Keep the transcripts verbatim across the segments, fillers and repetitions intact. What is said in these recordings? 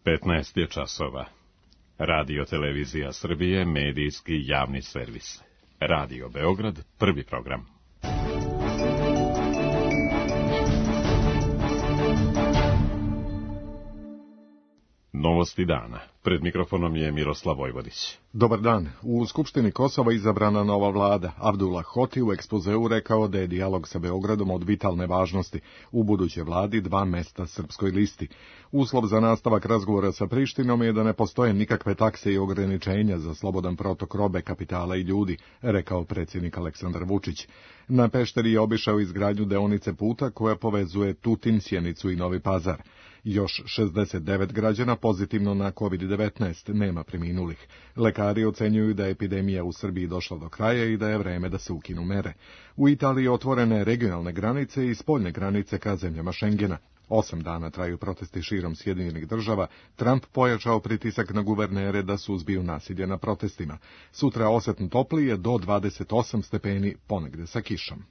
petnaest je časova. Radio Televizija Srbije, medijski javni servis. Radio Beograd, prvi program. Novosti dana. Pred mikrofonom je Miroslav Vojvodić. Dobar dan. U Skupštini Kosova izabrana nova vlada. Abdullah Hoti u ekspozeu rekao da je dijalog sa Beogradom od vitalne važnosti. U budućoj vladi dva mesta Srpskoj listi. Uslov za nastavak razgovora sa Prištinom je da ne postoje nikakve takse i ograničenja za slobodan protok robe, kapitala i ljudi, rekao predsjednik Aleksandar Vučić. Na Pešteri je obišao izgradnju deonice puta koja povezuje Tutin, Sjenicu i Novi Pazar. Još šezdeset devet građana pozitivno na kovid devetnaest, nema preminulih. Lekari ocenjuju da je epidemija u Srbiji došla do kraja i da je vreme da se ukinu mere. U Italiji otvorene regionalne granice i spoljne granice ka zemljama Šengena. Osam dana traju protesti širom Sjedinjenih država. Trump pojačao pritisak na guvernere da suzbiju nasilje na protestima. Sutra osetno toplije do dvadeset osam stepeni, ponegde sa kišom.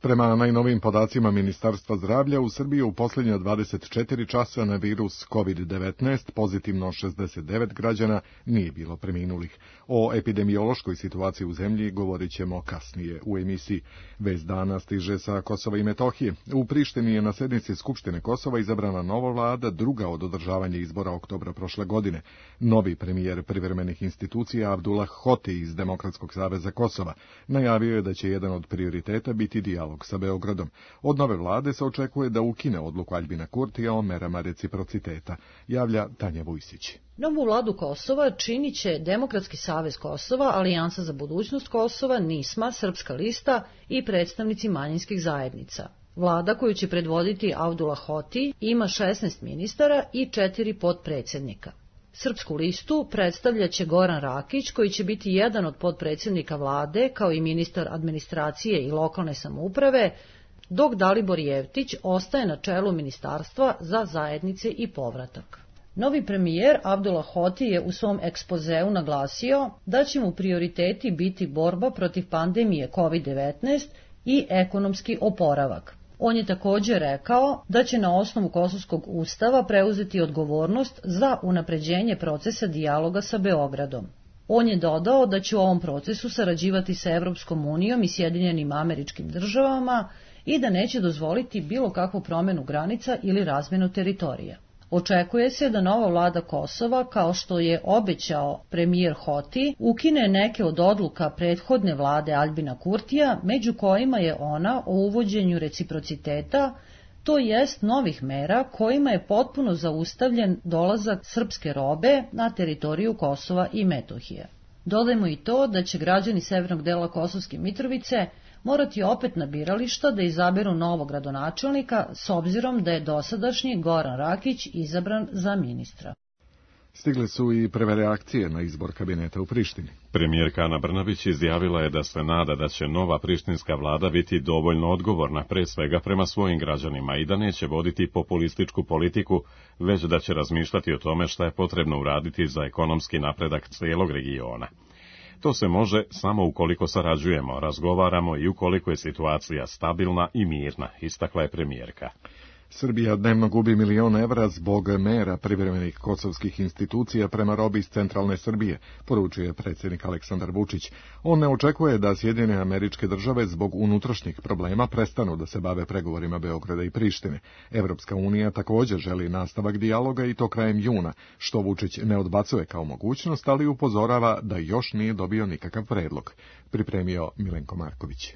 Prema najnovijim podacima Ministarstva zdravlja, u Srbiji u posljednja dvadeset četiri časa na virus kovid devetnaest pozitivno šezdeset devet građana, nije bilo preminulih. O epidemiološkoj situaciji u zemlji govorit ćemo kasnije u emisiji. Vest dana stiže sa Kosova i Metohije. U Prištini je na sednici Skupštine Kosova izabrana nova vlada, druga od održavanja izbora oktobra prošle godine. Novi premijer privremenih institucija Abdullah Hoti iz Demokratskog saveza Kosova najavio je da će jedan od prioriteta biti dijalog sa Beogradom. Od nove vlade se očekuje da ukine odluku Aljbina Kurtija o merama reciprociteta, javlja Tanja Vujsić. Novu vladu Kosova činit će Demokratski savez Kosova, Alijansa za budućnost Kosova, NISMA, Srpska lista i predstavnici manjinskih zajednica. Vlada koju će predvoditi Abdullah Hoti ima šesnaest ministara i četiri potpredsjednika. Srpsku listu predstavljaće Goran Rakić, koji će biti jedan od potpredsjednika vlade, kao i ministar administracije i lokalne samouprave, dok Dalibor Jevtić ostaje na čelu Ministarstva za zajednice i povratak. Novi premijer Abdullah Hoti je u svom ekspozeu naglasio da će mu prioriteti biti borba protiv pandemije kovid devetnaest i ekonomski oporavak. On je također rekao da će na osnovu Kosovskog ustava preuzeti odgovornost za unapređenje procesa dijaloga sa Beogradom. On je dodao da će u ovom procesu sarađivati sa Evropskom unijom i Sjedinjenim Američkim Državama i da neće dozvoliti bilo kakvu promjenu granica ili razmjenu teritorija. Očekuje se da nova vlada Kosova, kao što je obećao premijer Hoti, ukine neke od odluka prethodne vlade Aljbina Kurtija, među kojima je ona o uvođenju reciprociteta, to jest novih mera kojima je potpuno zaustavljen dolazak srpske robe na teritoriju Kosova i Metohije. Dodajmo i to da će građani severnog dela Kosovske Mitrovice morati opet na birališta da izaberu novog gradonačelnika, s obzirom da je dosadašnji Goran Rakić izabran za ministra. Stigle su i prve reakcije na izbor kabineta u Prištini. Premijerka Ana Brnabić izjavila je da se nada da će nova prištinska vlada biti dovoljno odgovorna pre svega prema svojim građanima i da neće voditi populističku politiku, već da će razmišljati o tome šta je potrebno uraditi za ekonomski napredak cijelog regiona. To se može samo ukoliko sarađujemo, razgovaramo i ukoliko je situacija stabilna i mirna, istakla je premijerka. Srbija dnevno gubi milion evra zbog mera privremenih kosovskih institucija prema robi iz centralne Srbije, poručuje predsjednik Aleksandar Vučić. On ne očekuje da Sjedinjene Američke Države zbog unutrašnjih problema prestanu da se bave pregovorima Beograda i Prištine. Evropska unija također želi nastavak dijaloga i to krajem juna, što Vučić ne odbacuje kao mogućnost, ali upozorava da još nije dobio nikakav predlog. Pripremio Milenko Marković.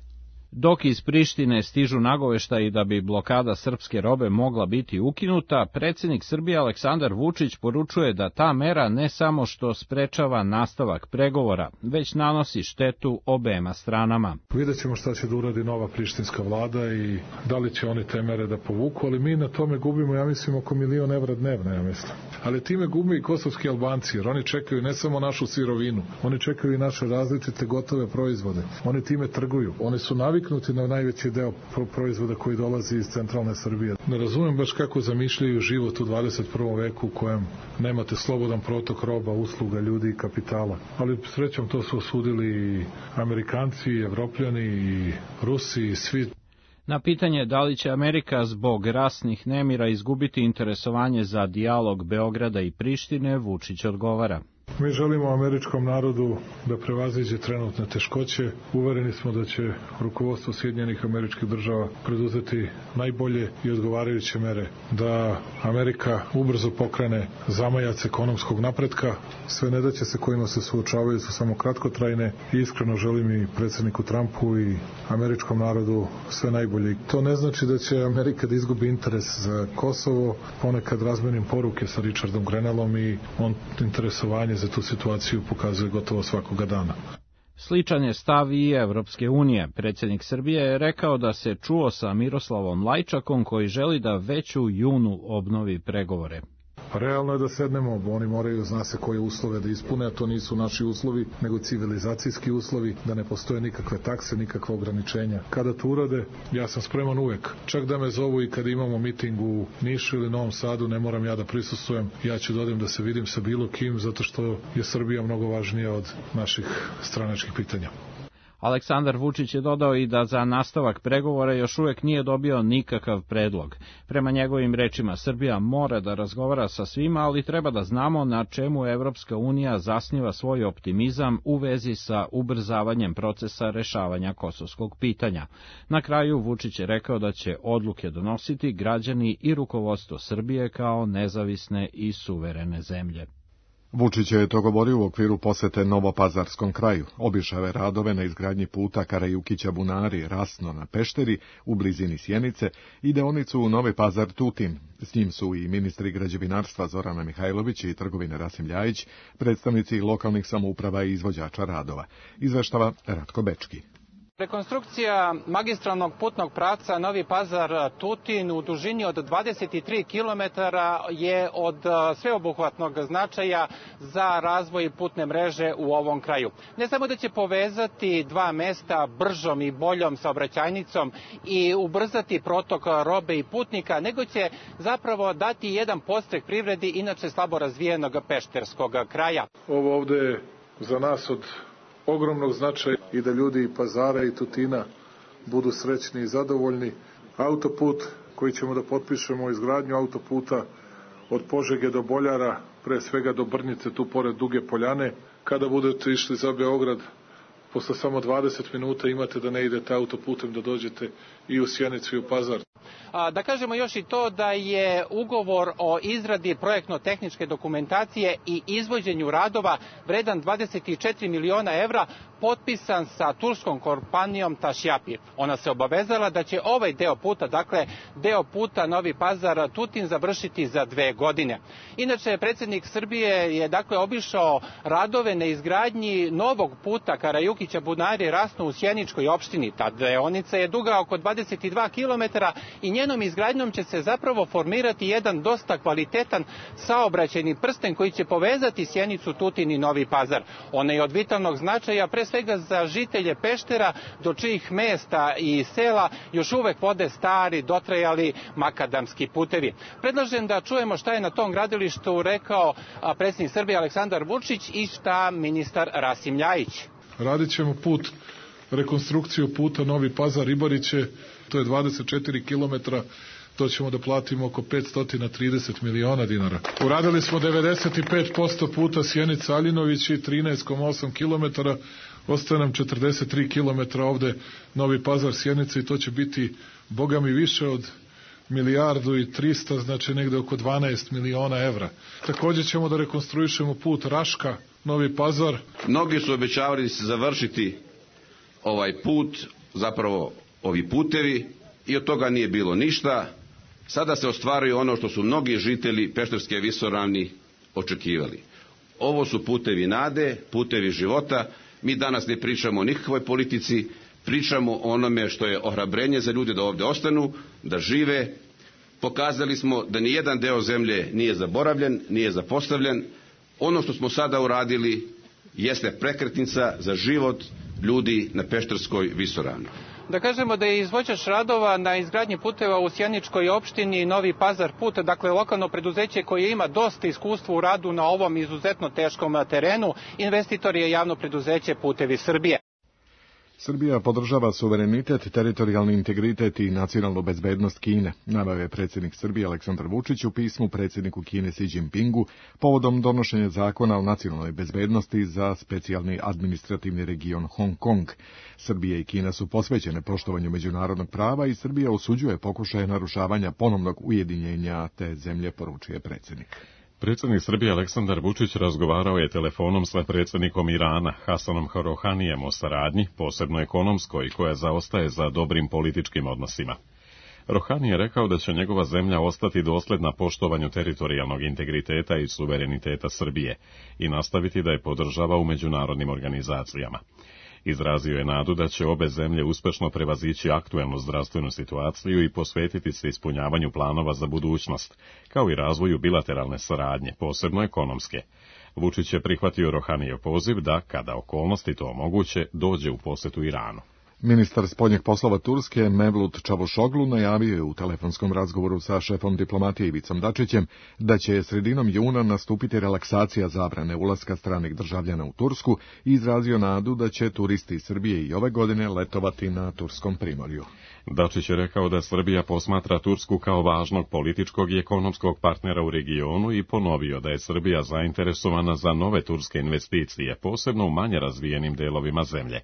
Dok iz Prištine stižu nagoveštaji da bi blokada srpske robe mogla biti ukinuta, predsjednik Srbije Aleksandar Vučić poručuje da ta mera ne samo što sprečava nastavak pregovora, već nanosi štetu obema stranama. Vidjet ćemo šta će da uradi nova prištinska vlada i da li će oni te mere da povuku, ali mi na tome gubimo, ja mislim, oko milion evra dnevno, ja mislim. Ali time gube i kosovski Albanci, jer oni čekaju ne samo našu sirovinu, oni čekaju i naše različite gotove proizvode. Oni time trguju. Oni su naviknuti na najveći deo proizvoda koji dolazi iz centralne Srbije. Ne razumem baš kako zamišljaju život u dvadeset prvom veku u kojem nemate slobodan protok roba, usluga, ljudi i kapitala. Ali srećom to su osudili i Amerikanci, i Evropljani, i Rusi, i svi. Na pitanje da li će Amerika zbog rasnih nemira izgubiti interesovanje za dijalog Beograda i Prištine, Vučić odgovara. Mi želimo američkom narodu da prevaziđe trenutne teškoće. Uvereni smo da će rukovodstvo Sjedinjenih Američkih Država preduzeti najbolje i odgovarajuće mere da Amerika ubrzo pokrene zamajac ekonomskog napretka. Sve nedaće se kojima se suočavaju su samo kratkotrajne i iskreno želim i predsjedniku Trumpu i američkom narodu sve najbolje. To ne znači da će Amerika da izgubi interes za Kosovo. Ponekad razmenim poruke sa Richardom Grenellom i on interesovanje za tu situaciju pokazuje gotovo svakoga dana. Sličan je stav i Evropske unije. Predsjednik Srbije je rekao da se čuo sa Miroslavom Lajčakom koji želi da već u junu obnovi pregovore. Realno je da sednemo, oni moraju, zna se koje uslove da ispune, a to nisu naši uslovi, nego civilizacijski uslovi, da ne postoje nikakve takse, nikakve ograničenja. Kada to urade, ja sam spreman uvek. Čak da me zovu i kada imamo miting u Nišu ili Novom Sadu, ne moram ja da prisustvujem, ja ću da odem da se vidim sa bilo kim, zato što je Srbija mnogo važnija od naših stranačkih pitanja. Aleksandar Vučić je dodao i da za nastavak pregovora još uvek nije dobio nikakav predlog. Prema njegovim rečima, Srbija mora da razgovara sa svima, ali treba da znamo na čemu Evropska unija zasniva svoj optimizam u vezi sa ubrzavanjem procesa rešavanja kosovskog pitanja. Na kraju Vučić je rekao da će odluke donositi građani i rukovodstvo Srbije kao nezavisne i suverene zemlje. Vučić je to govorio u okviru posete Novopazarskom kraju. Obišao je radove na izgradnji puta Karajukića-Bunari, Rasno na Pešteri, u blizini Sjenice, i deonicu Novi Pazar-Tutin. S njim su i ministri građevinarstva Zorana Mihajlović i trgovine Rasim Ljajić, predstavnici lokalnih samouprava i izvođača radova. Izveštava Ratko Bečki. Rekonstrukcija magistralnog putnog pravca Novi Pazar-Tutin u dužini od dvadeset tri kilometara je od sveobuhvatnog značaja za razvoj putne mreže u ovom kraju. Ne samo da će povezati dva mesta bržom i boljom saobraćajnicom i ubrzati protok robe i putnika, nego će zapravo dati jedan podstrek privredi inače slabo razvijenog pešterskog kraja. Ovo ovde je za nas od ogromnog značaja i da ljudi i Pazara i Tutina budu srećni i zadovoljni. Autoput koji ćemo da potpišemo, izgradnju autoputa od Požege do Boljara, pre svega do Brnjice, tu pored Duge Poljane. Kada budete išli za Beograd, posle samo dvadeset minuta imate da ne idete autoputem, da dođete i u Sjenicu i u Pazar. Da kažemo još i to da je ugovor o izradi projektno-tehničke dokumentacije i izvođenju radova vredan dvadeset četiri miliona evra potpisan sa turskom kompanijom Tašjapi. Ona se obavezala da će ovaj deo puta, dakle deo puta Novi Pazar-Tutin, završiti za dve godine. Inače, predsjednik Srbije je dakle obišao radove na izgradnji novog puta Karajukića-Bunari-Rasno u Sjeničkoj opštini. Ta deonica je duga oko dvadeset dva kilometara i njenom izgradnjom će se zapravo formirati jedan dosta kvalitetan saobraćajni prsten koji će povezati Sjenicu, Tutin i Novi Pazar. Ona je od vitalnog značaja pre svega za žitelje Peštera, do čijih mesta i sela još uvek vode stari, dotrajali makadamski putevi. Predlažem da čujemo šta je na tom gradilištu rekao predsjednik Srbije Aleksandar Vučić i šta ministar Rasim Ljajić. Radit ćemo put, rekonstrukciju puta Novi Pazar-Ribariće, to je dvadeset četiri kilometra, to ćemo da platimo oko petsto trideset miliona dinara. Uradili smo devedeset pet posto puta Sjenica-Aljinović i trinaest zarez osam kilometara, ostaje nam četrdeset tri kilometra ovde Novi Pazar-Sjenica i to će biti, boga mi, više od milijardu i trista, znači negde oko dvanaest miliona evra. Također ćemo da rekonstruišemo put Raška, Novi Pazar. Mnogi su obećavali da će se završiti ovaj put, zapravo ovi putevi, i od toga nije bilo ništa. Sada se ostvaruje ono što su mnogi žitelji Pešterske visoravni očekivali. Ovo su putevi nade, putevi života. Mi danas ne pričamo o nikakvoj politici, pričamo o onome što je ohrabrenje za ljude da ovdje ostanu, da žive. Pokazali smo da ni jedan deo zemlje nije zaboravljen, nije zapostavljen. Ono što smo sada uradili jeste prekretnica za život ljudi na Pešterskoj visoravni. Da kažemo da je izvođač radova na izgradnji puteva u Sjeničkoj opštini Novi Pazar put, dakle lokalno preduzeće koje ima dosta iskustva u radu na ovom izuzetno teškom terenu. Investitor je javno preduzeće Putevi Srbije. Srbija podržava suverenitet, teritorijalni integritet i nacionalnu bezbednost Kine, naveo je predsjednik Srbije Aleksandar Vučić u pismu predsjedniku Kine Xi Jinpingu povodom donošenja zakona o nacionalnoj bezbednosti za specijalni administrativni region Hong Kong. Srbija i Kina su posvećene poštovanju međunarodnog prava i Srbija osuđuje pokušaje narušavanja ponovnog ujedinjenja te zemlje, poručuje predsjednik. Predsjednik Srbije Aleksandar Vučić razgovarao je telefonom sa predsjednikom Irana Hasanom Rohanijem o saradnji, posebno ekonomskoj, koja zaostaje za dobrim političkim odnosima. Rohani je rekao da će njegova zemlja ostati dosljedna poštovanju teritorijalnog integriteta i suvereniteta Srbije i nastaviti da je podržava u međunarodnim organizacijama. Izrazio je nadu da će obe zemlje uspešno prevazići aktuelnu zdravstvenu situaciju i posvetiti se ispunjavanju planova za budućnost, kao i razvoju bilateralne saradnje, posebno ekonomske. Vučić je prihvatio Rohanijev poziv da, kada okolnosti to omoguće, dođe u posetu Iranu. Ministar spoljnih poslova Turske Mevlut Čavuşoglu najavio je u telefonskom razgovoru sa šefom diplomatije Ivicom Dačićem da će sredinom juna nastupiti relaksacija zabrane ulaska stranih državljana u Tursku i izrazio nadu da će turisti iz Srbije i ove godine letovati na turskom primorju. Dačić je rekao da Srbija posmatra Tursku kao važnog političkog i ekonomskog partnera u regionu i ponovio da je Srbija zainteresovana za nove turske investicije, posebno u manje razvijenim delovima zemlje.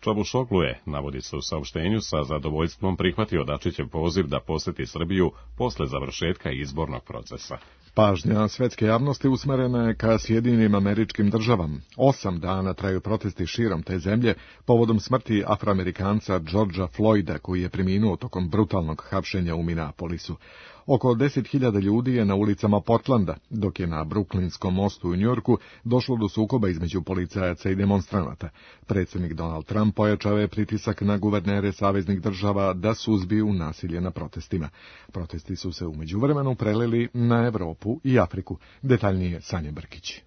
Čavuşoglu je, navodi se u saopštenju, sa zadovoljstvom prihvatio Dačićev poziv da poseti Srbiju posle završetka izbornog procesa. Pažnja svetske javnosti usmerena je ka Sjedinjenim Američkim Državama. Osam dana traju protesti širom te zemlje povodom smrti Afroamerikanca Georgea Floyda, koji je preminuo tokom brutalnog hapšenja u Minneapolisu. Oko deset hiljada ljudi je na ulicama Portlanda, dok je na Brooklynskom mostu u Njujorku došlo do sukoba između policajaca i demonstranata. Predsjednik Donald Trump pojačao je pritisak na guvernere saveznih država da suzbiju nasilje na protestima. Protesti su se u međuvremenu prelili na Evropu i Afriku. Detaljnije Sanja Brkić.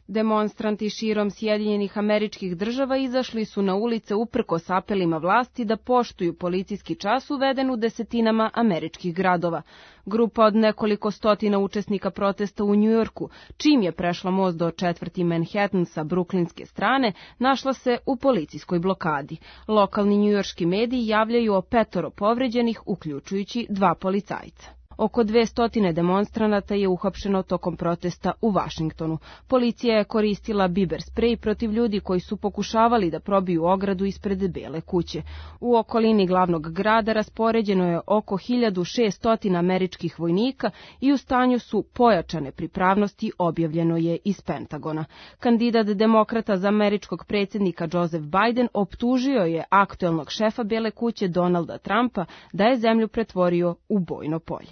Demonstranti širom Sjedinjenih Američkih Država izašli su na ulice uprkos apelima vlasti da poštuju policijski čas uveden u desetinama američkih gradova. Grupa od nekoliko stotina učesnika protesta u Njujorku, čim je prešla most do četvrti Manhattan sa bruklinske strane, našla se u policijskoj blokadi. Lokalni njujorški mediji javljaju o petoro povređenih, uključujući dva policajca. Oko dvesta demonstranata je uhapšeno tokom protesta u Vašingtonu. Policija je koristila biber sprej protiv ljudi koji su pokušavali da probiju ogradu ispred Bele kuće. U okolini glavnog grada raspoređeno je oko hiljadu šesto američkih vojnika i u stanju su pojačane pripravnosti, objavljeno je iz Pentagona. Kandidat demokrata za američkog predsjednika Joseph Biden optužio je aktuelnog šefa Bele kuće Donalda Trumpa da je zemlju pretvorio u bojno polje.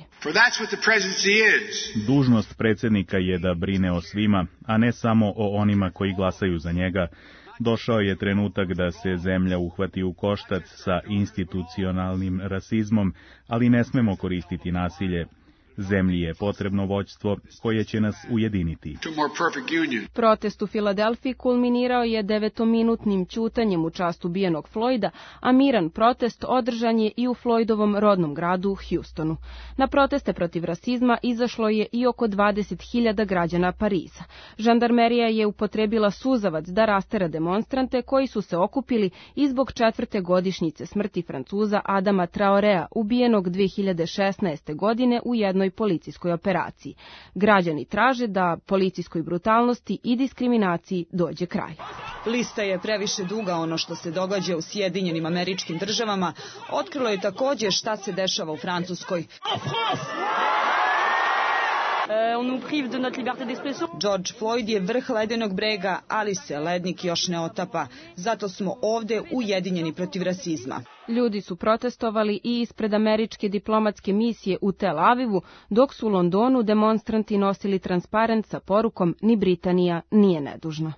Dužnost predsjednika je da brine o svima, a ne samo o onima koji glasaju za njega. Došao je trenutak da se zemlja uhvati u koštac sa institucionalnim rasizmom, ali ne smemo koristiti nasilje. Zemlji je potrebno vođstvo koje će nas ujediniti. Protest u Filadelfiji kulminirao je devetominutnim ćutanjem u čast ubijenog Floyda, a miran protest održan je i u Floydovom rodnom gradu Houstonu. Na proteste protiv rasizma izašlo je i oko dvadeset hiljada građana Pariza. Žandarmerija je upotrebila suzavac da rastera demonstrante koji su se okupili i zbog četvrte godišnjice smrti Francuza Adama Traorea, ubijenog dve hiljade šesnaeste. godine u jednoj policijskoj operaciji. Građani traže da policijskoj brutalnosti i diskriminaciji dođe kraj. Lista je previše duga. Ono što se događa u Sjedinjenim Američkim Državama otkrilo je također šta se dešava u Francuskoj. George Floyd je vrh ledenog brega, ali se lednik još ne otapa. Zato smo ovde ujedinjeni protiv rasizma. Ljudi su protestovali i ispred američke diplomatske misije u Tel Avivu, dok su u Londonu demonstranti nosili transparent sa porukom "Ni Britanija nije nedužna".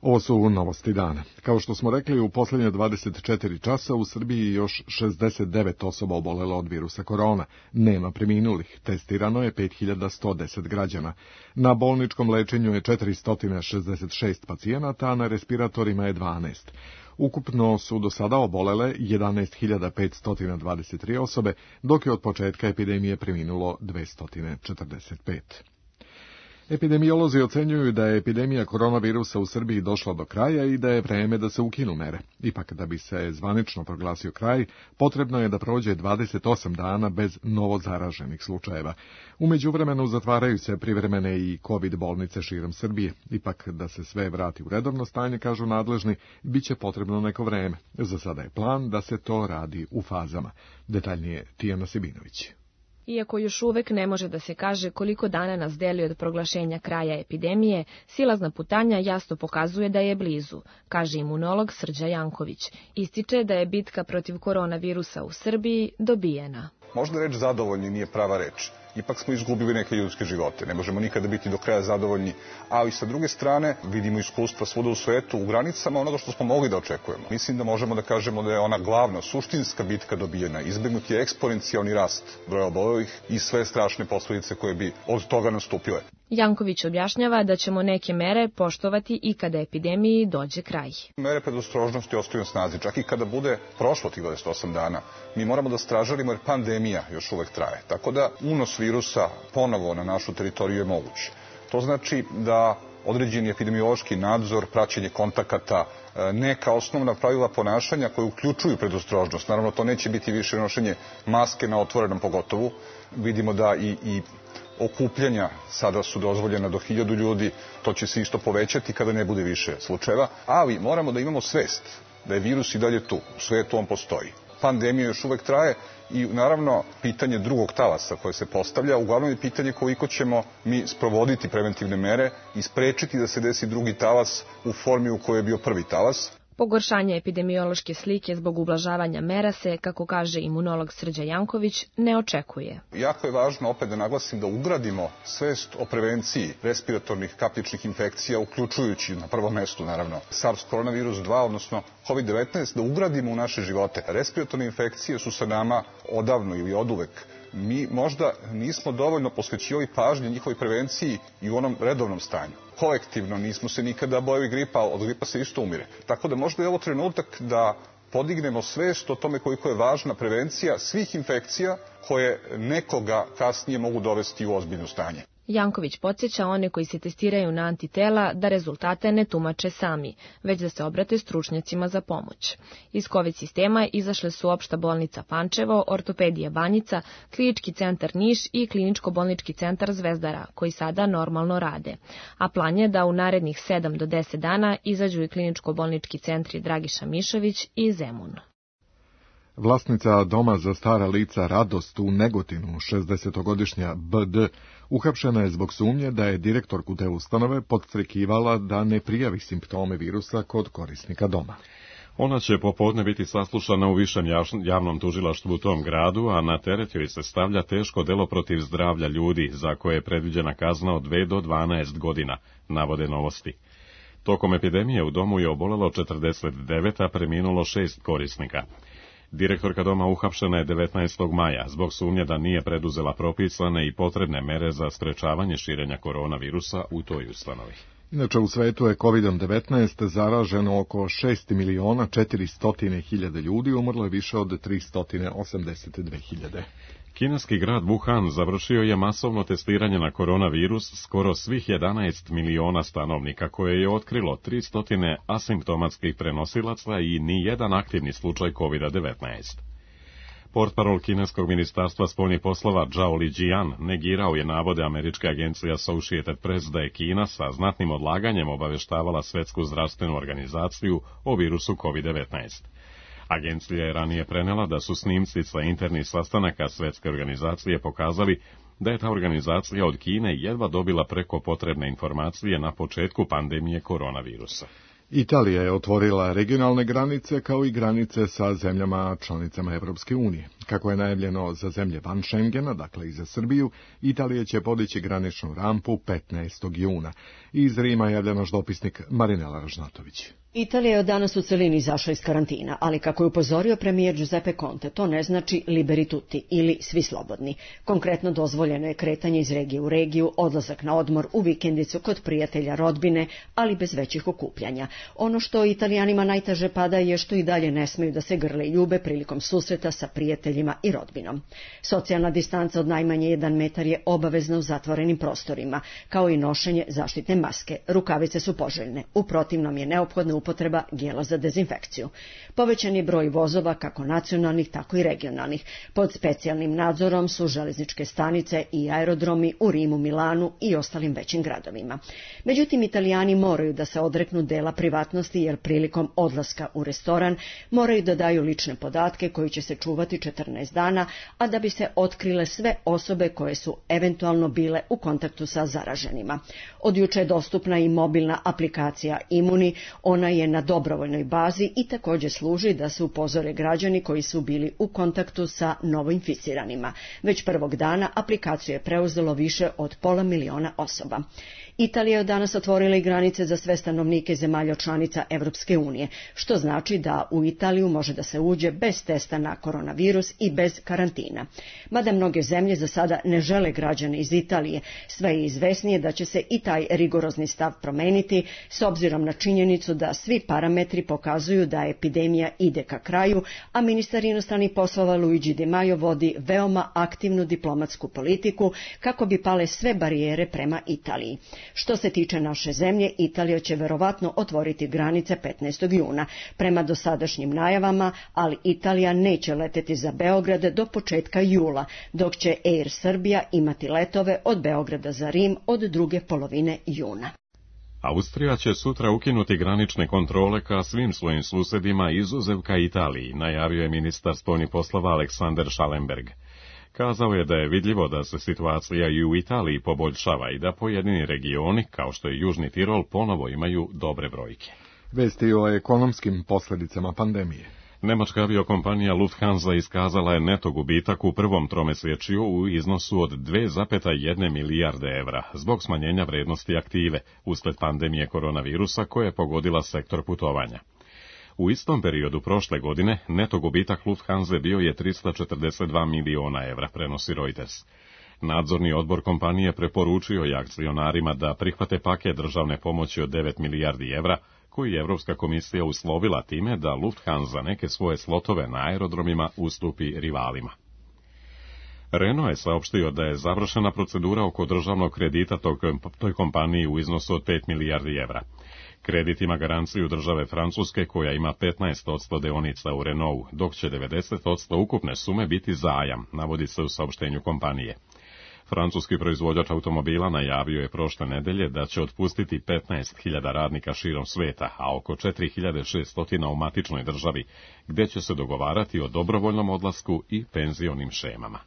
Ovo su novosti dana. Kao što smo rekli, u posljednje dvadeset četiri časa u Srbiji još šezdeset devet osoba obolelo od virusa korona. Nema preminulih. Testirano je pet hiljada sto deset građana. Na bolničkom lečenju je četiristo šezdeset šest pacijenata, a na respiratorima je dvanaest. Ukupno su do sada obolele jedanaest hiljada petsto dvadeset tri osobe, dok je od početka epidemije preminulo dvesta četrdeset pet. Epidemiolozi ocenjuju da je epidemija koronavirusa u Srbiji došla do kraja i da je vreme da se ukinu mere. Ipak, da bi se zvanično proglasio kraj, potrebno je da prođe dvadeset osam dana bez novozaraženih slučajeva. U međuvremenu zatvaraju se privremene i COVID bolnice širom Srbije. Ipak, da se sve vrati u redovno stanje, kažu nadležni, bit će potrebno neko vreme. Za sada je plan da se to radi u fazama. Detaljnije Tijana Sibinović. Iako još uvek ne može da se kaže koliko dana nas deli od proglašenja kraja epidemije, silazna putanja jasno pokazuje da je blizu, kaže imunolog Srđa Janković. Ističe da je bitka protiv koronavirusa u Srbiji dobijena. Možda reč zadovoljni nije prava reč. Ipak smo izgubili neke ljudske živote. Ne možemo nikada biti do kraja zadovoljni, ali sa druge strane vidimo iskustva svuda u svetu u granicama onoga što smo mogli da očekujemo. Mislim da možemo da kažemo da je ona glavna, suštinska bitka dobijena. Izbegnut je eksponencijalni rast broja obolelih i sve strašne posledice koje bi od toga nastupile. Janković objašnjava da ćemo neke mere poštovati i kada epidemiji dođe kraj. Mere predostrožnosti ostaju na snazi, čak i kada bude prošlo tih dvadeset osam dana. Mi moramo da stražarimo jer pandemija još uvek traje. Tako da unos virusa ponovo na našu teritoriju je moguć. To znači da određeni epidemiološki nadzor, praćenje kontakata, neka osnovna pravila ponašanja koje uključuju predostrožnost. Naravno, to neće biti više nošenje maske na otvorenom pogotovu. Vidimo da i, i okupljanja sada su dozvoljena do hiljadu ljudi, to će se isto povećati kada ne bude više slučajeva, ali moramo da imamo svest da je virus i dalje tu, u svetu on postoji. Pandemija još uvek traje i naravno pitanje drugog talasa koje se postavlja, uglavnom je pitanje koliko ćemo mi sprovoditi preventivne mere i sprečiti da se desi drugi talas u formi u kojoj je bio prvi talas. Pogoršanje epidemiološke slike zbog ublažavanja mera se, kako kaže imunolog Srđa Janković, ne očekuje. Jako je važno opet da naglasim da ugradimo svest o prevenciji respiratornih kapljičnih infekcija, uključujući na prvom mestu naravno SARS koronavirus dva, odnosno COVID devetnaest, da ugradimo u naše živote. Respiratorne infekcije su sa nama odavno ili oduvek. Mi možda nismo dovoljno posvećivali pažnje njihovoj prevenciji i u onom redovnom stanju. Kolektivno nismo se nikada bojali gripa, od gripa se isto umire. Tako da možda je ovo trenutak da podignemo svest o tome koliko je važna prevencija svih infekcija koje nekoga kasnije mogu dovesti u ozbiljno stanje. Janković podsjeća one koji se testiraju na antitela da rezultate ne tumače sami, već da se obrate stručnjacima za pomoć. Iz COVID sistema izašle su Opšta bolnica Pančevo, Ortopedija Banjica, Klinički centar Niš i Kliničko-bolnički centar Zvezdara, koji sada normalno rade. A plan je da u narednih sedam do deset dana izađu i kliničko-bolnički centri Dragiša Mišović i Zemun. Vlasnica doma za stara lica Radost u Negotinu, šezdesetogodišnja B D, uhapšena je zbog sumnje da je direktorku te ustanove podstrekivala da ne prijavi simptome virusa kod korisnika doma. Ona će popodne biti saslušana u višem javnom tužilaštvu u tom gradu, a na teret joj se stavlja teško delo protiv zdravlja ljudi, za koje je predviđena kazna od dve do dvanaest godina, navode Novosti. Tokom epidemije u domu je obolelo četrdeset devet, a preminulo šest korisnika. Direktorka doma uhapšena je devetnaestog maja zbog sumnje da nije preduzela propisane i potrebne mere za sprečavanje širenja koronavirusa u toj ustanovi. Inače, u svetu je kovid devetnaest zaraženo oko šest miliona četiristo hiljada ljudi, umrlo je više od tristo osamdeset dve hiljade. Kineski grad Wuhan završio je masovno testiranje na koronavirus skoro svih jedanaest miliona stanovnika, koje je otkrilo tristo asimptomatskih prenosilaca i ni jedan aktivni slučaj kovid devetnaest. Portparol kineskog ministarstva spoljnih poslova Zhao Lijian negirao je navode američke agencije Associated Press da je Kina sa znatnim odlaganjem obaveštavala Svetsku zdravstvenu organizaciju o virusu kovid devetnaest. Agencija je ranije prenela da su snimci sa internih sastanaka Svetske organizacije pokazali da je ta organizacija od Kine jedva dobila preko potrebne informacije na početku pandemije koronavirusa. Italija je otvorila regionalne granice kao i granice sa zemljama članicama Evropske unije. Kako je najavljeno za zemlje van Schengena, dakle i za Srbiju, Italija će podići graničnu rampu petnaestog juna. Iz Rima javlja naš dopisnik Marinela Ražnatović. Italija je od danas u celini izašla iz karantina, ali kako je upozorio premijer Giuseppe Conte, to ne znači liberi tutti ili svi slobodni. Konkretno dozvoljeno je kretanje iz regije u regiju, odlazak na odmor, u vikendicu kod prijatelja, rodbine, ali bez većih okupljanja. Ono što Italijanima najteže pada je što i dalje ne smeju da se grle i ljube prilikom susreta sa prijateljima prijateljima i rodbinom. Socijalna distanca od najmanje jedan metar je obavezna u zatvorenim prostorima, kao i nošenje zaštitne maske. Rukavice su poželjne, u protivnom je neophodna upotreba gela za dezinfekciju. Povećan je broj vozova, kako nacionalnih, tako i regionalnih. Pod specijalnim nadzorom su železničke stanice i aerodromi u Rimu, Milanu i ostalim većim gradovima. Međutim, Italijani moraju da se odreknu dela privatnosti, jer prilikom odlaska u restoran moraju da daju lične podatke koji će se čuvati četrnaest dana, a da bi se otkrile sve osobe koje su eventualno bile u kontaktu sa zaraženima. Od juče je dostupna i mobilna aplikacija Imuni, ona je na dobrovoljnoj bazi i također služi da se upozore građani koji su bili u kontaktu sa novoinficiranima. Već prvog dana aplikaciju je preuzelo više od pola miliona osoba. Italija je danas otvorila i granice za sve stanovnike zemalja članica Evropske unije, što znači da u Italiju može da se uđe bez testa na koronavirus i bez karantina. Mada mnoge zemlje za sada ne žele građane iz Italije, sve je izvesnije da će se i taj rigorozni stav promeniti, s obzirom na činjenicu da svi parametri pokazuju da epidemija ide ka kraju, a ministar inostranih poslova Luigi Di Maio vodi veoma aktivnu diplomatsku politiku kako bi pale sve barijere prema Italiji. Što se tiče naše zemlje, Italija će verovatno otvoriti granice petnaestog juna, prema dosadašnjim najavama, ali Italija neće leteti za Beograd do početka jula, dok će Air Srbija imati letove od Beograda za Rim od druge polovine juna. Austrija će sutra ukinuti granične kontrole ka svim svojim susedima izuzev ka Italiji, najavio je ministar spoljnih poslova Aleksander Schallenberg. Kazao je da je vidljivo da se situacija i u Italiji poboljšava i da pojedini regioni, kao što je Južni Tirol, ponovo imaju dobre brojke. Vesti o ekonomskim posljedicama pandemije. Nemačka aviokompanija Lufthansa iskazala je neto gubitak u prvom tromesečju u iznosu od dve zarez jedna milijarde evra zbog smanjenja vrednosti aktive usled pandemije koronavirusa koja je pogodila sektor putovanja. U istom periodu prošle godine neto gubitak Lufthansa bio je trista četrdeset dva miliona evra, prenosi Reuters. Nadzorni odbor kompanije preporučio je akcionarima da prihvate paket državne pomoći od devet milijardi evra, koji je Evropska komisija uslovila time da Lufthansa neke svoje slotove na aerodromima ustupi rivalima. Renault je saopštio da je završena procedura oko državnog kredita tog, toj kompaniji u iznosu od pet milijardi evra. Kredit ima garanciju države Francuske koja ima petnaest posto deonica u Renaultu, dok će devedeset posto ukupne sume biti zajam, navodi se u saopštenju kompanije. Francuski proizvođač automobila najavio je prošle nedelje da će otpustiti petnaest hiljada radnika širom sveta, a oko četiri hiljade šesto u matičnoj državi, gde će se dogovarati o dobrovoljnom odlasku i penzionim šemama.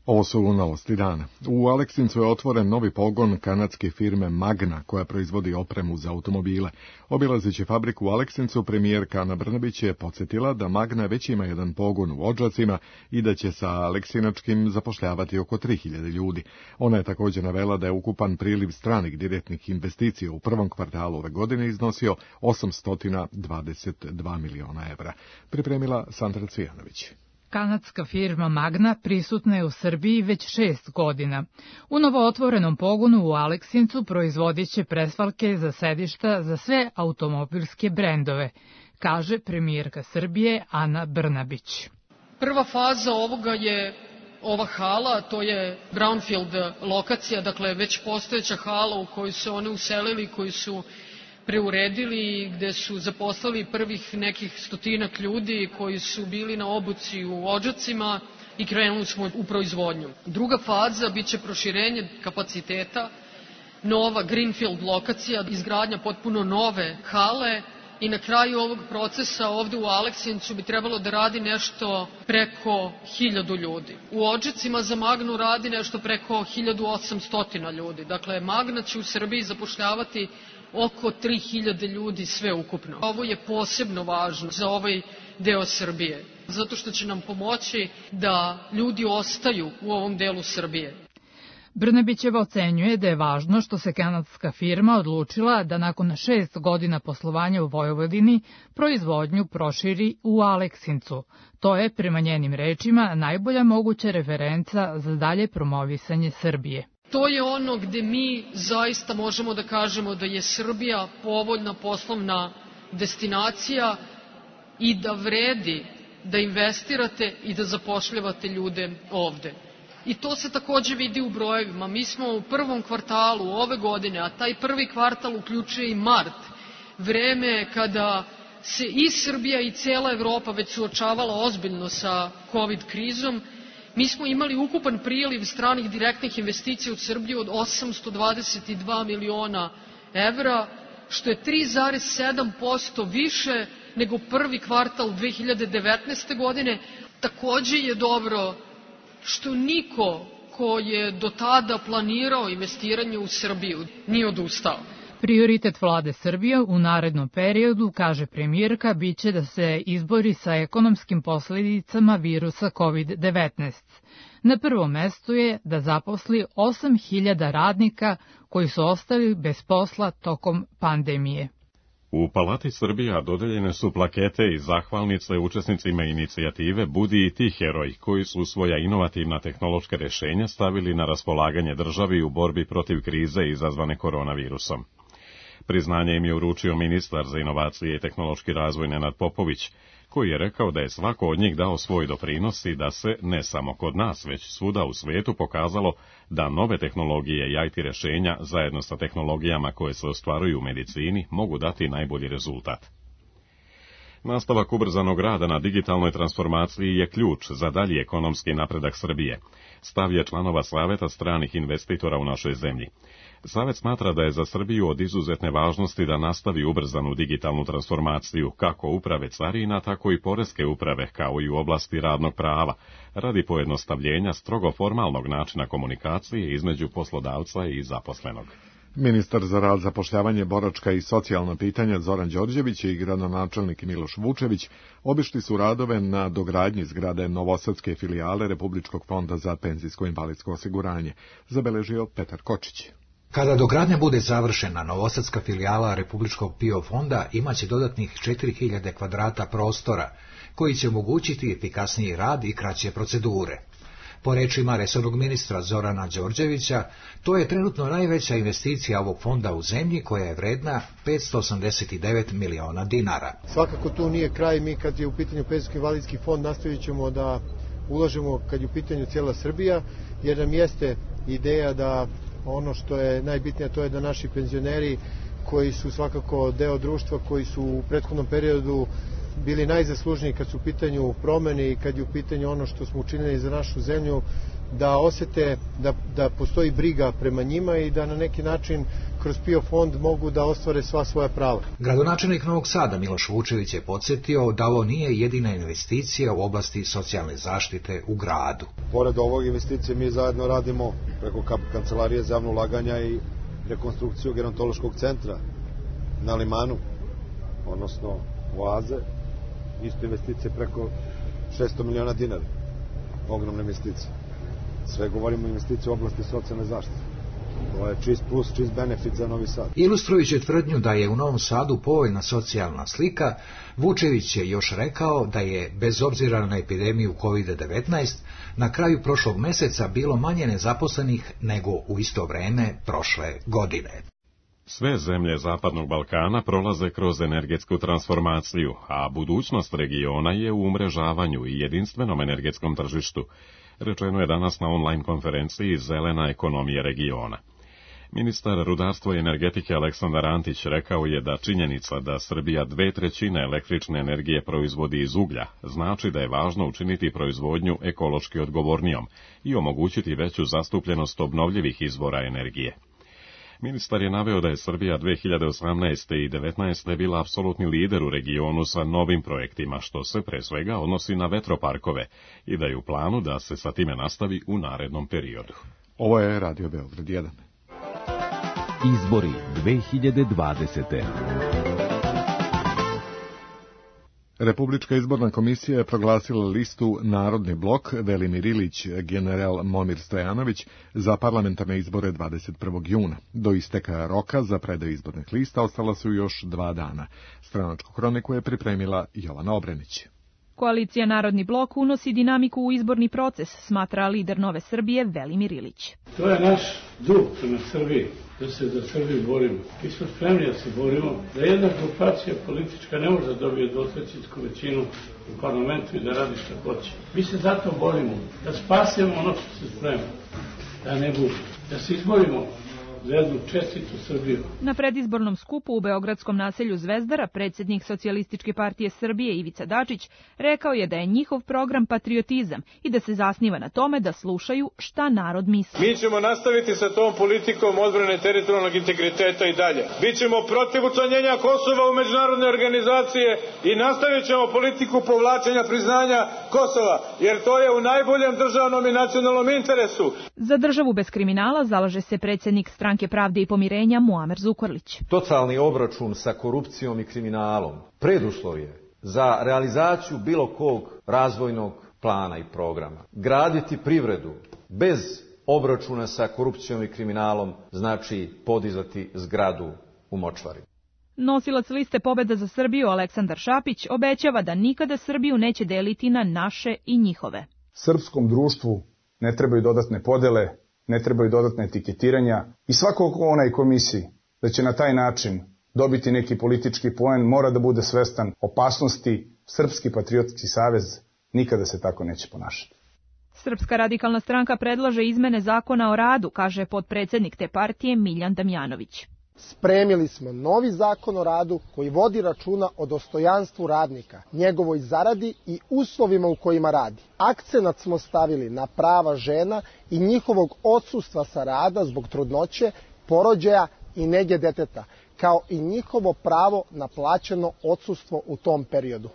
Ovo su novosti dana. U Aleksincu je otvoren novi pogon kanadske firme Magna, koja proizvodi opremu za automobile. Obilazeći fabriku u Aleksincu, premijerka Ana Brnabić je podsjetila da Magna već ima jedan pogon u Odžacima i da će sa aleksinačkim zapošljavati oko tri hiljade ljudi. Ona je također navela da je ukupan priliv stranih direktnih investicija u prvom kvartalu ove godine iznosio osamsto dvadeset dva miliona evra. Pripremila Sandra Cvijanović. Kanadska firma Magna prisutna je u Srbiji već šest godina. U novootvorenom pogonu u Aleksincu proizvodit će presvalke za sedišta za sve automobilske brendove, kaže premijerka Srbije Ana Brnabić. Prva faza ovoga je ova hala, to je brownfield lokacija, dakle već postojeća hala u koju se one uselili, koji su preuredili, gde su zaposlali prvih nekih stotinak ljudi koji su bili na obuci u Odžacima i krenuli smo u proizvodnju. Druga faza biće proširenje kapaciteta, nova greenfield lokacija, izgradnja potpuno nove hale i na kraju ovog procesa ovde u Aleksincu bi trebalo da radi nešto preko hiljadu ljudi. U Odžacima za Magnu radi nešto preko hiljadu osamsto ljudi. Dakle, Magna će u Srbiji zapošljavati oko tri hiljade ljudi sve ukupno. Ovo je posebno važno za ovaj deo Srbije, zato što će nam pomoći da ljudi ostaju u ovom delu Srbije. Brnabićeva ocenjuje da je važno što se kanadska firma odlučila da nakon šest godina poslovanja u Vojvodini proizvodnju proširi u Aleksincu. To je, prema njenim rečima, najbolja moguća referenca za dalje promovisanje Srbije. To je ono gde mi zaista možemo da kažemo da je Srbija povoljna poslovna destinacija i da vredi da investirate i da zapošljavate ljude ovde. I to se takođe vidi u brojevima. Mi smo u prvom kvartalu ove godine, a taj prvi kvartal uključuje i mart, vreme kada se i Srbija i cela Evropa već suočavala ozbiljno sa COVID krizom, mi smo imali ukupan priliv stranih direktnih investicija u Srbiju od osamsto dvadeset dva miliona evra, što je tri zarez sedam posto više nego prvi kvartal dve hiljade devetnaeste. godine. Takođe je dobro što niko ko je do tada planirao investiranje u Srbiju nije odustao. Prioritet vlade Srbije u narednom periodu, kaže premijerka, biće da se izbori sa ekonomskim posljedicama virusa kovid devetnaest. Na prvom mestu je da zaposli osam hiljada radnika koji su ostali bez posla tokom pandemije. U Palati Srbija dodeljene su plakete i zahvalnice učesnicima inicijative Budi i ti heroj, koji su svoja inovativna tehnološka rješenja stavili na raspolaganje državi u borbi protiv krize izazvane koronavirusom. Priznanje im je uručio ministar za inovacije i tehnološki razvoj Nenad Popović, koji je rekao da je svako od njih dao svoj doprinos i da se, ne samo kod nas, već svuda u svijetu pokazalo da nove tehnologije i I T rješenja, zajedno sa tehnologijama koje se ostvaruju u medicini, mogu dati najbolji rezultat. Nastavak ubrzanog rada na digitalnoj transformaciji je ključ za dalji ekonomski napredak Srbije, stav je članova Saveta stranih investitora u našoj zemlji. Savet smatra da je za Srbiju od izuzetne važnosti da nastavi ubrzanu digitalnu transformaciju kako uprave carina, tako i poreske uprave, kao i u oblasti radnog prava, radi pojednostavljenja strogo formalnog načina komunikacije između poslodavca i zaposlenog. Ministar za rad, zapošljavanje, boračka i socijalna pitanja Zoran Đorđević i gradonačelnik Miloš Vučević obišli su radove na dogradnji zgrade novosadske filijale Republičkog fonda za penzijsko-invalidsko osiguranje, zabeležio Petar Kočić. Kada dogradnja bude završena, novosadska filijala Republičkog P I O fonda imaće dodatnih četiri hiljade kvadrata prostora, koji će omogućiti efikasniji rad i kraće procedure. Po rečima resornog ministra Zorana Đorđevića, to je trenutno najveća investicija ovog fonda u zemlji, koja je vredna petsto osamdeset devet miliona dinara. Svakako tu nije kraj, mi kad je u pitanju penzijsko-invalidski fond nastavit ćemo da ulažemo kad je u pitanju cijela Srbija, jer nam jeste ideja da ono što je najbitnije, to je da naši penzioneri koji su svakako deo društva, koji su u prethodnom periodu bili najzaslužniji kad su u pitanju promene i kad je u pitanju ono što smo učinili za našu zemlju, da osete da, da postoji briga prema njima i da na neki način kroz P I O fond mogu da ostvare sva svoja prava. Gradonačelnik Novog Sada Miloš Vučević je podsjetio da ovo nije jedina investicija u oblasti socijalne zaštite u gradu. Pored ovog investicije mi zajedno radimo preko Kancelarije za javno ulaganja i rekonstrukciju gerontološkog centra na Limanu, odnosno Oaze, isto investicije preko šesto miliona dinara, ogromne investicije. Sve govorimo o investiciji u oblasti socijalne zaštite. To je čist plus, čist benefit za Novi Sad. Ilustrujući tvrdnju da je u Novom Sadu povoljna socijalna slika, Vučević je još rekao da je, bez obzira na epidemiju kovid devetnaest, na kraju prošlog meseca bilo manje nezaposlenih nego u isto vreme prošle godine. Sve zemlje Zapadnog Balkana prolaze kroz energetsku transformaciju, a budućnost regiona je u umrežavanju i jedinstvenom energetskom tržištu, rečeno je danas na online konferenciji Zelena ekonomija regiona. Ministar rudarstva i energetike Aleksandar Antić rekao je da činjenica da Srbija dve trećine električne energije proizvodi iz uglja znači da je važno učiniti proizvodnju ekološki odgovornijom i omogućiti veću zastupljenost obnovljivih izvora energije. Ministar je naveo da je Srbija dve hiljade osamnaeste. i devetnaeste. bila apsolutni lider u regionu sa novim projektima, što se pre svega odnosi na vetroparkove, i da je u planu da se sa time nastavi u narednom periodu. Ovo je Radio Beograd jedan. Izbori dve hiljade dvadesete. Republička izborna komisija je proglasila listu Narodni blok Velimir Ilić, general Momir Stojanović za parlamentarne izbore dvadeset prvog juna. Do isteka roka za predaju izbornih lista ostala su još dva dana. Stranačku hroniku je pripremila Jovana Obrenić. Koalicija Narodni blok unosi dinamiku u izborni proces, smatra lider Nove Srbije Velimir Ilić. To je naš dug prema Srbiji, da se za Srbiju borimo. Mi smo spremni da se borimo, da jedna grupacija politička ne može da dobije dvotrećinsku većinu u parlamentu i da radi što hoće. Mi se zato borimo, da spasemo ono što se sprema, da ne bude, da se izborimo za jednu čestitu Srbiju. Na predizbornom skupu u beogradskom naselju Zvezdara predsjednik Socijalističke partije Srbije Ivica Dačić rekao je da je njihov program patriotizam i da se zasniva na tome da slušaju šta narod misli. Mi ćemo nastaviti sa tom politikom odbrane teritorijalnog integriteta i dalje. Bićemo protiv učlanjenja Kosova u međunarodne organizacije i nastavit ćemo politiku povlačenja priznanja Kosova, jer to je u najboljem državnom i nacionalnom interesu. Za državu bez kriminala zalaže se predsjednik Stranke pravde i pomirenja Muamer Zukorlić. Totalni obračun sa korupcijom i kriminalom preduslov je za realizaciju bilo kog razvojnog plana i programa. Graditi privredu bez obračuna sa korupcijom i kriminalom znači podizati zgradu u močvari. Nosilac liste Pobeda za Srbiju Aleksandar Šapić obećava da nikada Srbiju neće deliti na naše i njihove. Srpskom društvu ne trebaju dodatne podele, ne trebaju dodatne etiketiranja i svako ko onaj ko misli da će na taj način dobiti neki politički poen mora da bude svestan opasnosti. Srpski patriotski savez nikada se tako neće ponašati. Srpska radikalna stranka predlaže izmene zakona o radu, kaže potpredsjednik te partije Miljan Damjanović. Spremili smo novi zakon o radu koji vodi računa o dostojanstvu radnika, njegovoj zaradi i uslovima u kojima radi. Akcenat smo stavili na prava žena i njihovog odsustva sa rada zbog trudnoće, porođaja i nege deteta, kao i njihovo pravo na plaćeno odsustvo u tom periodu.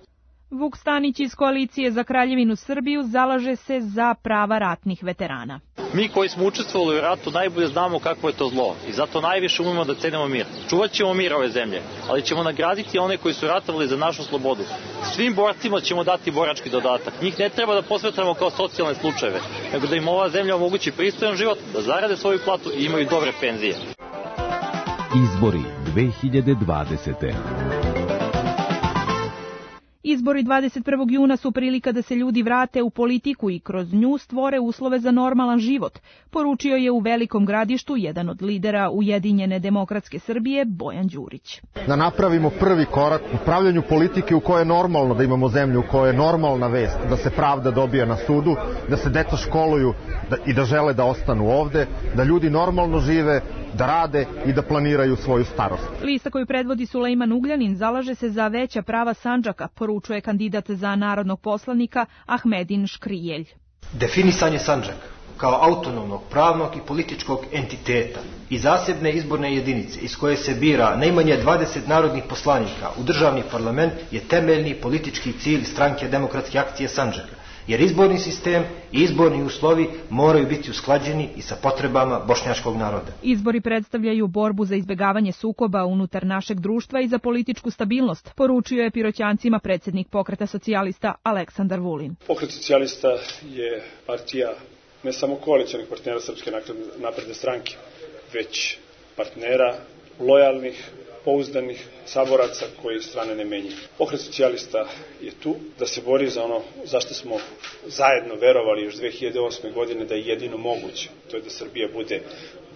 Vuk Stanić iz Koalicije za Kraljevinu Srbiju zalaže se za prava ratnih veterana. Mi koji smo učestvovali u ratu najbolje znamo kakvo je to zlo i zato najviše umemo da cenimo mir. Čuvat ćemo mir ove zemlje, ali ćemo nagraditi one koji su ratovali za našu slobodu. Svim borcima ćemo dati borački dodatak. Njih ne treba da posmatramo kao socijalne slučajeve, nego da im ova zemlja omogući pristojan život, da zarade svoju platu i imaju dobre penzije. Izbori dve hiljade dvadesete. Izbori dvadeset prvog juna su prilika da se ljudi vrate u politiku i kroz nju stvore uslove za normalan život, poručio je u Velikom Gradištu jedan od lidera Ujedinjene demokratske Srbije, Bojan Đurić. Da napravimo prvi korak u pravljanju politike u kojoj je normalno da imamo zemlju, u kojoj je normalna vest, da se pravda dobija na sudu, da se deca školuju da, i da žele da ostanu ovde, da ljudi normalno žive, da rade i da planiraju svoju starost. Lista koju predvodi Sulejman Ugljanin zalaže se za veća prava Sandžaka, poručuje kandidat za narodnog poslanika Ahmedin Škrijelj. Definisanje Sandžaka kao autonomnog, pravnog i političkog entiteta i zasebne izborne jedinice iz koje se bira najmanje dvadeset narodnih poslanika u državni parlament je temeljni politički cilj Stranke demokratske akcije Sandžaka, jer izborni sistem i izborni uslovi moraju biti usklađeni i sa potrebama bošnjačkog naroda. Izbori predstavljaju borbu za izbjegavanje sukoba unutar našeg društva i za političku stabilnost, poručio je Piroćancima predsjednik Pokreta socijalista Aleksandar Vulin. Pokret socijalista je partija ne samo koalicionih partnera Srpske napredne stranke, već partnera lojalnih, pouzdanih saboraca koji strane ne menjaju. Pokret socijalista je tu da se bori za ono zašto smo zajedno verovali još dve hiljade osme. godine da je jedino moguće. To je da Srbija bude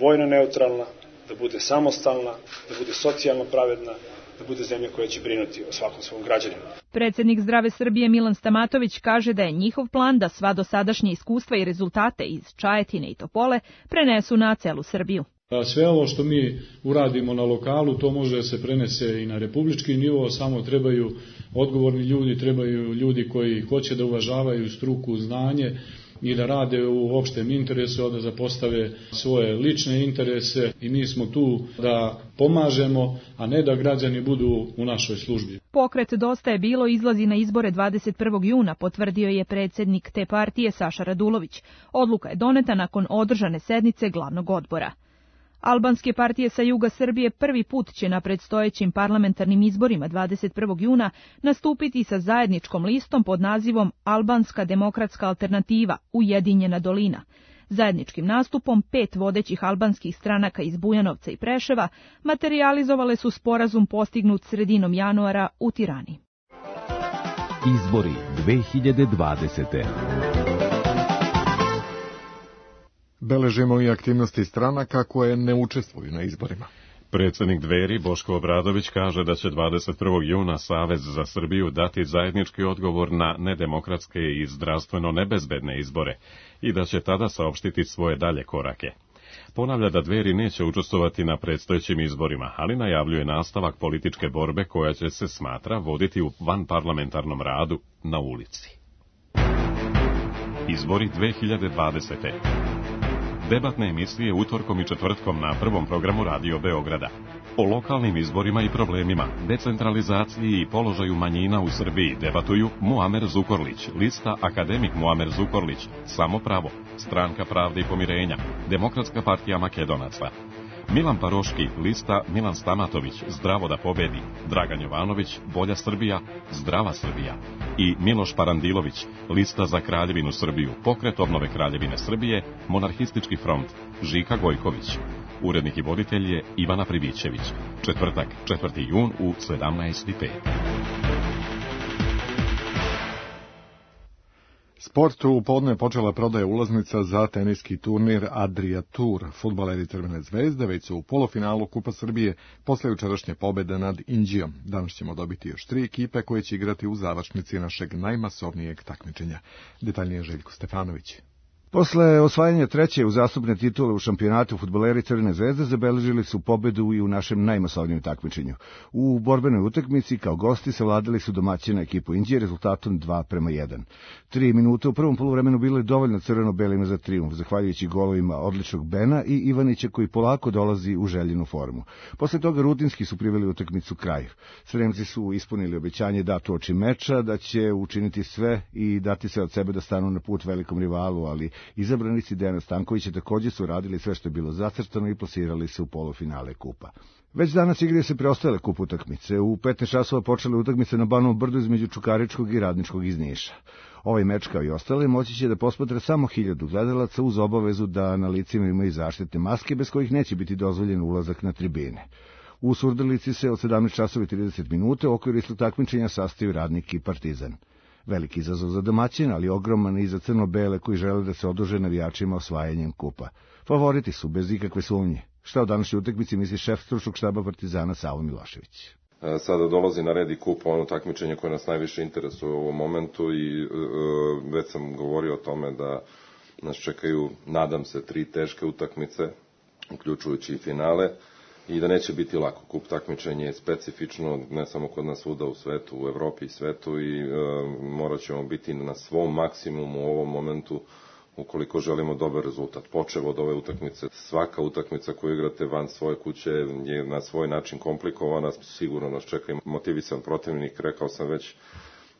vojno neutralna, da bude samostalna, da bude socijalno pravedna, da bude zemlja koja će brinuti o svakom svom građaninu. Predsjednik Zdrave Srbije Milan Stamatović kaže da je njihov plan da sva dosadašnje iskustva i rezultate iz Čajetine i Topole prenesu na celu Srbiju. Sve ovo što mi uradimo na lokalu, to može da se prenese i na republički nivo, samo trebaju odgovorni ljudi, trebaju ljudi koji hoće da uvažavaju struku, znanje i da rade u opštem interesu, da zapostave svoje lične interese i mi smo tu da pomažemo, a ne da građani budu u našoj službi. Pokret Dosta je bilo izlazi na izbore dvadeset prvog juna, potvrdio je predsjednik te partije Saša Radulović. Odluka je doneta nakon održane sednice glavnog odbora. Albanske partije sa juga Srbije prvi put će na predstojećim parlamentarnim izborima dvadeset prvog juna nastupiti sa zajedničkom listom pod nazivom Albanska demokratska alternativa Ujedinjena dolina. Zajedničkim nastupom pet vodećih albanskih stranaka iz Bujanovca i Preševa materijalizovale su sporazum postignut sredinom januara u Tirani. Izbori dve hiljade dvadesete. Beležimo i aktivnosti stranaka koje ne učestvuju na izborima. Predsjednik Dveri Boško Obradović kaže da će dvadeset prvog juna Savez za Srbiju dati zajednički odgovor na nedemokratske i zdravstveno nebezbedne izbore i da će tada saopštiti svoje dalje korake. Ponavlja da Dveri neće učestvovati na predstojećim izborima, ali najavljuje nastavak političke borbe koja će se, smatra, voditi u vanparlamentarnom radu na ulici. Izbori dve hiljade dvadesete. Debatne emisije utorkom i četvrtkom na prvom programu Radio Beograda. O lokalnim izborima i problemima, decentralizaciji i položaju manjina u Srbiji debatuju Muamer Zukorlić, lista Akademik Muamer Zukorlić, Samo pravo, Stranka pravde i pomirenja, Demokratska partija Makedonaca. Milan Paroški, lista Milan Stamatović, Zdravo da pobedi, Dragan Jovanović, Bolja Srbija, Zdrava Srbija i Miloš Parandilović, lista Za Kraljevinu Srbiju, Pokret obnove Kraljevine Srbije, Monarhistički front, Žika Gojković. Urednik i voditelj je Ivana Pribićević. Četvrtak, četvrti jun u sedamnaest i pet. Sportu u podne počela prodaja ulaznica za teniski turnir Adria Tour. Fudbaleri Crvene zvezde već su u polufinalu Kupa Srbije posle jučerašnje pobede nad Inđijom. Danas ćemo dobiti još tri ekipe koje će igrati u završnici našeg najmasovnijeg takmičenja. Detaljnije Željko Stefanović. Posle osvajanja treće uzastopne titule u šampionatu fudbaleri Crvene zvezde zabeležili su pobedu i u našem najmasovnijem takmičenju. U borbenoj utakmici kao gosti savladali su domaćina ekipu Inđije rezultatom dva prema jedan. Tri minuta u prvom poluvremenu bilo je dovoljno crveno-belima za trijumf, zahvaljujući golovima odličnog Bena i Ivanića koji polako dolazi u željenu formu. Posle toga rutinski su priveli utakmicu kraju. Sremci su ispunili obećanje dato oči meča da će učiniti sve i dati se od sebe da stanu na put velikom rivalu, ali izabranici Dejana Stankovića također su radili sve što je bilo zacrtano i plasirali se u polufinale kupa. Već danas igraju se preostale kup utakmice. U petnaest časova počele utakmice na Banovom brdu između Čukaričkog i Radničkog iz Niša. Ovaj meč kao i ostale moći će da posmatra samo hiljadu gledalaca uz obavezu da na licima imaju zaštitne maske bez kojih neće biti dozvoljen ulazak na tribine. U Surdulici se od sedamnaest časova i trideset minuta u okviru istog takmičenja sastaju Radnik i Partizan. Veliki izazov za domaćina, ali ogroman i za crno-bele koji žele da se oduže navijačima osvajanjem kupa. Favoriti su, bez ikakve sumnje. Šta o današnjoj utakmici misli šef stručnog štaba Partizana Savo Milošević? Sada dolazi na red i kup, ono takmičenje koje nas najviše interesuje u ovom momentu i e, već sam govorio o tome da nas čekaju, nadam se, tri teške utakmice, uključujući i finale. I da neće biti lako. Kup takmičenje je specifično, ne samo kod nas svuda u svetu, u Evropi i svetu i e, morat ćemo biti na svom maksimumu u ovom momentu ukoliko želimo dobar rezultat. Počev od ove utakmice, svaka utakmica koju igrate van svoje kuće je na svoj način komplikovana, sigurno nas čeka i motivisan protivnik, rekao sam već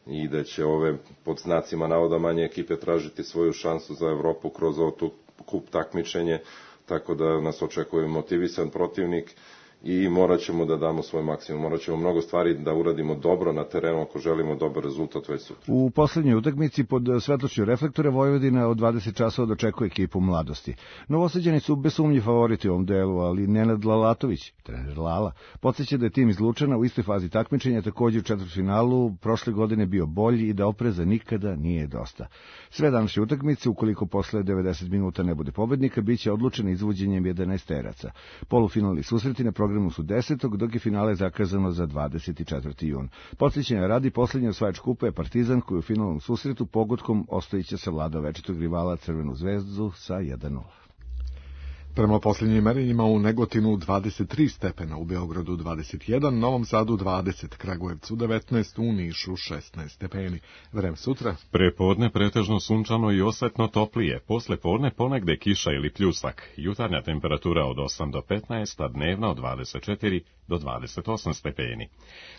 i da će ove pod znacima navoda manje ekipe tražiti svoju šansu za Evropu kroz ovo tu kup takmičenje, tako da nas očekuje motivisan protivnik i morat ćemo da damo svoj maksimum. Morat ćemo mnogo stvari da uradimo dobro na terenu ako želimo dobar rezultat već sutra. U poslednjoj utakmici pod svetlošću reflektora Vojvodina od dvadeset časova dočekuje ekipu Mladosti. Novosađani su bez sumnje favoriti u ovom delu, ali Nenad Lalatović, trener Lala, podsjeća da je tim iz Lučana u istoj fazi takmičenja također u četvrtfinalu prošle godine bio bolji i da opreza nikada nije dosta. Sve današnje utakmice, ukoliko posle devedeset minuta ne bude pobednika, biće odlučene izvođenjem jedanaesteraca. Polufinalni susreti na programu su desetog, dok je finale zakazano za dvadeset četvrti jun. Podsjećanja radi, posljednji osvajač kupa je Partizan koji u finalnom susretu pogodkom ostojiće se vlada večitog rivala Crvenu zvezdu sa jedan nula. Prema posljednjim merenjima u Negotinu dvadeset tri stepena, u Beogradu dvadeset jedan, Novom Sadu dvadeset, Kragujevcu devetnaest, u Nišu šesnaest stepeni. Vreme sutra. Prepodne pretežno sunčano i osetno toplije, posle podne ponegde kiša ili pljusak. Jutarnja temperatura od osam do petnaest, a dnevna od dvadeset četiri do dvadeset osam stepeni.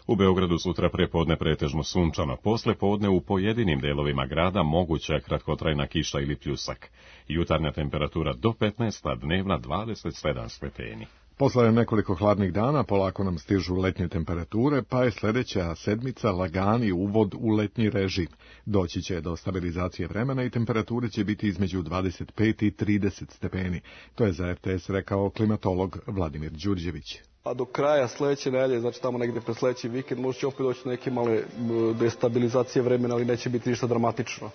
U Beogradu sutra prepodne pretežno sunčano, posle podne u pojedinim delovima grada moguća kratkotrajna kiša ili pljusak. Jutarnja temperatura do petnaest, a dnevna dvadeset sedam stepeni. Posle nekoliko hladnih dana polako nam stižu letnje temperature, pa je sljedeća sedmica lagani uvod u letnji režim. Doći će do stabilizacije vremena i temperature će biti između dvadeset pet i trideset stepeni. To je za R T S rekao klimatolog Vladimir Đurđević. a do kraja sledeće nedelje, znači tamo negde pre sledeći vikend, možda će opet doći neke male destabilizacije vremena, ali neće biti ništa dramatično.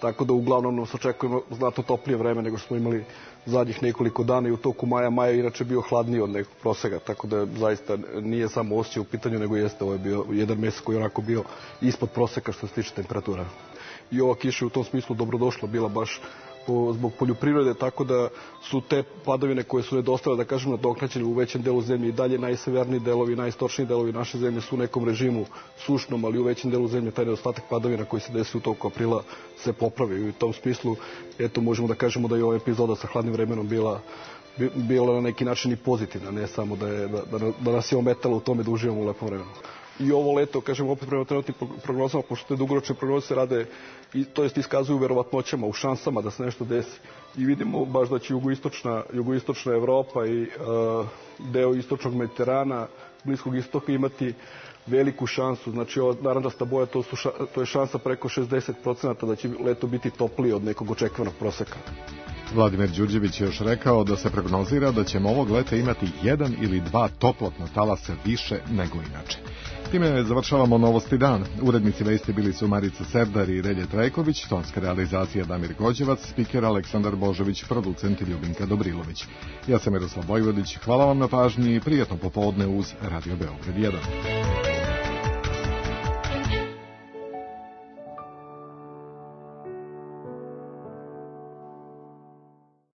Tako da uglavnom nas očekujemo znatno toplije vreme nego što smo imali zadnjih nekoliko dana i u toku maja. Maja je inače bio hladniji od nekog proseka, tako da zaista nije samo osjećaj u pitanju, nego jeste ovo je bio jedan mesec koji je onako bio ispod proseka što se tiče temperatura. I ova kiša u tom smislu dobrodošla bila baš po, zbog poljoprivrede, tako da su te padavine koje su nedostale, da kažemo, nadoknađene u većem delu zemlje i dalje najseverniji delovi, najistočniji delovi naše zemlje su u nekom režimu sušnom, ali u većem delu zemlje taj nedostatak padavina koji se desi u toku aprila se popravi. I u tom smislu, eto, možemo da kažemo da je ova epizoda sa hladnim vremenom bila bila na neki način i pozitivna, ne samo da, je, da, da, da nas je ometalo u tome da uživamo u lepom vremenu. I ovo leto, kažem, opet prema trenutnim prognozama, pošto te dugoročne prognoze se rade, i, to jest iskazuju verovatnoćama, u šansama da se nešto desi. I vidimo baš da će jugoistočna, jugoistočna Evropa i uh, deo istočnog Mediterana, Bliskog istoka imati veliku šansu. Znači, ova narandžasta boja, to, su ša, to je šansa preko šezdeset procenata da će leto biti toplije od nekog očekivanog proseka. Vladimir Đurđević je još rekao da se prognozira da ćemo ovog leta imati jedan ili dva toplotna talasa više nego inače. Time završavamo Novosti dan. Urednici vesti bili su Marica Serdar i Relje Trajković, tonska realizacija Damir Gođevac, spiker Aleksandar Božović, producent Ljubinka Dobrilović. Ja sam Miroslav Vojvodić, hvala vam na pažnji i prijatno popodne uz Radio Beograd jedan.